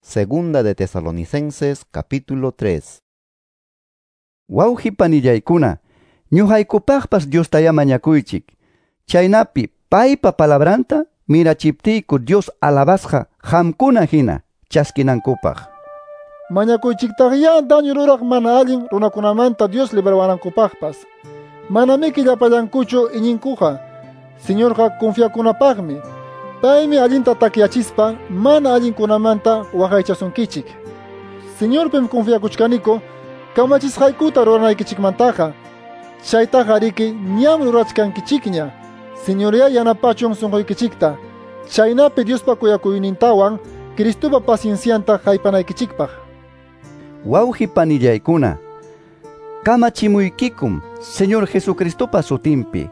Segunda de Tesalonicenses capítulo 3. Wawqi panillaykuna, ñuqaykupaqpas Diostayá mañakuychik. Chaynapi paypa palabranta mirachiptiyku Dios alabasqa qamkuna hina chaskinankupaq. Mañakuychiktaqyá daño ruraq mana allin runakunamanta Dios librawanankunapaqpas. Manamiki llapallankuchu iñinkuqa. Señorqa confiakunapaqmi. Paymi allinta takyachispa mana allinkunamanta waqaychasunkichik. Señorpim confiakuchkaniku kamachisqaykuta ruranaykichikmantaqa. Chaytaqa riki ñam rurachkankichikña. Señoría yanapachun sunquykichikta. Chaynapi Diospa kuyakuynintawan Cristopa paciencianta haypanaykichikpaq. Wawqi panillaykuna, kamachimuykikum Señor Jesucristopa sutinpi.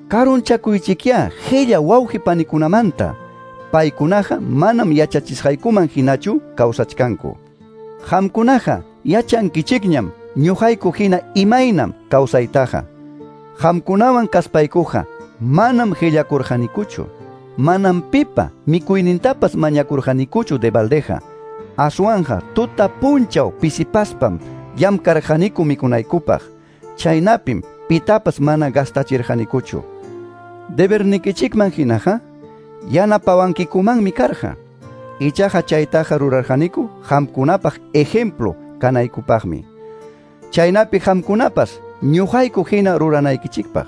Karunchakuychikyá qilla wawqi panikunamanta. Paykunaqa manam yachachisqaykuman hinachu kawsachkanku. Qamkunaqa yachankichikñam ñuqayku hina imaynam kawsaytaqa. Qamkunawan kaspaykuqa manam qillakurqanikuchu. Manam pipa mikuynintapas mañakurqanikuchu de baldeja. Aswanja tuta punchaw pisipaspam llamkarqaniku mikunaykupaq. Chaynapim pitapas mana gastachirqanikuchu. Debernikichikman hinaqa yanapawankikumanmi karqa. Ichaqa chaytaqa rurarqaniku qamkunapaq ejemplo kanaykupaqmi. Chaynapi qamkunapas ñuqayku hina ruranaykichikpaq.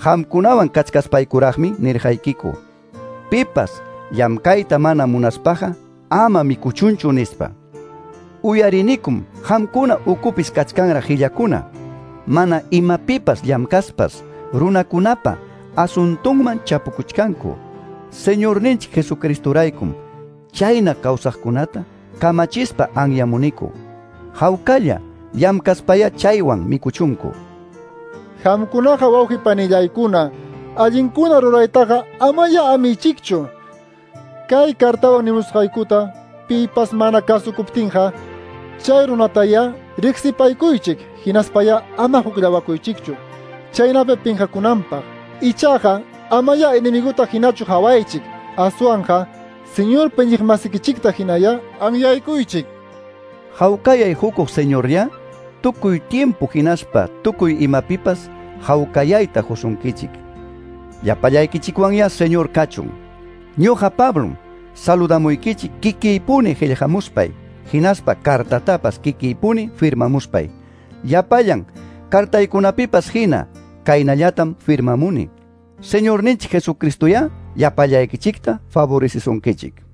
Qamkunawan kachkaspaykuraqmi nirqaykiku. Pipas llamkayta mana munaspaqa ama mikuchunchu nispa. Uyarinikum qamkuna ukupis kachkanraq qillakuna. Mana imapipas llamkaspas runakunapa asuntunman chapukuchkanku. Señorninchik Jesucristoraykum chayna kawsaqkunata kamachispa anyamuniku. Hawkalla llamkaspaya chaywan mikuchunku. Qamkunaqa wawqi panillaykuna, allinkuna ruraytaqa amaya amichikchu. Kay kartawan nimusqaykuta pipas mana kasukuptinqa chay runataya riqsipaykuychik hinaspaya ama hukllawakuychikchu. Chaynapi pinqakunanpaq. Ichaqa amaya enemiguta hinachu hawaychik. Aswanqa Señor iñiqmasikichikta hinaya anyaykuychik. Hawkayay hukuq Señorya tukuy tiempo hinaspa tukuy imapipas hawkayayta husunkichik. Llapallaykichikwanya Señor kachun. Ñuqa Pablom saludamuykichik kikiypuni qillqamuspay, hinaspa kartatapas kikiypuni firmamuspay. Llapallan kartaykunapipas hina kaynallatam firmamuni. Señorninchik Jesucristoyá llapallaykichikta favorecisunkichik.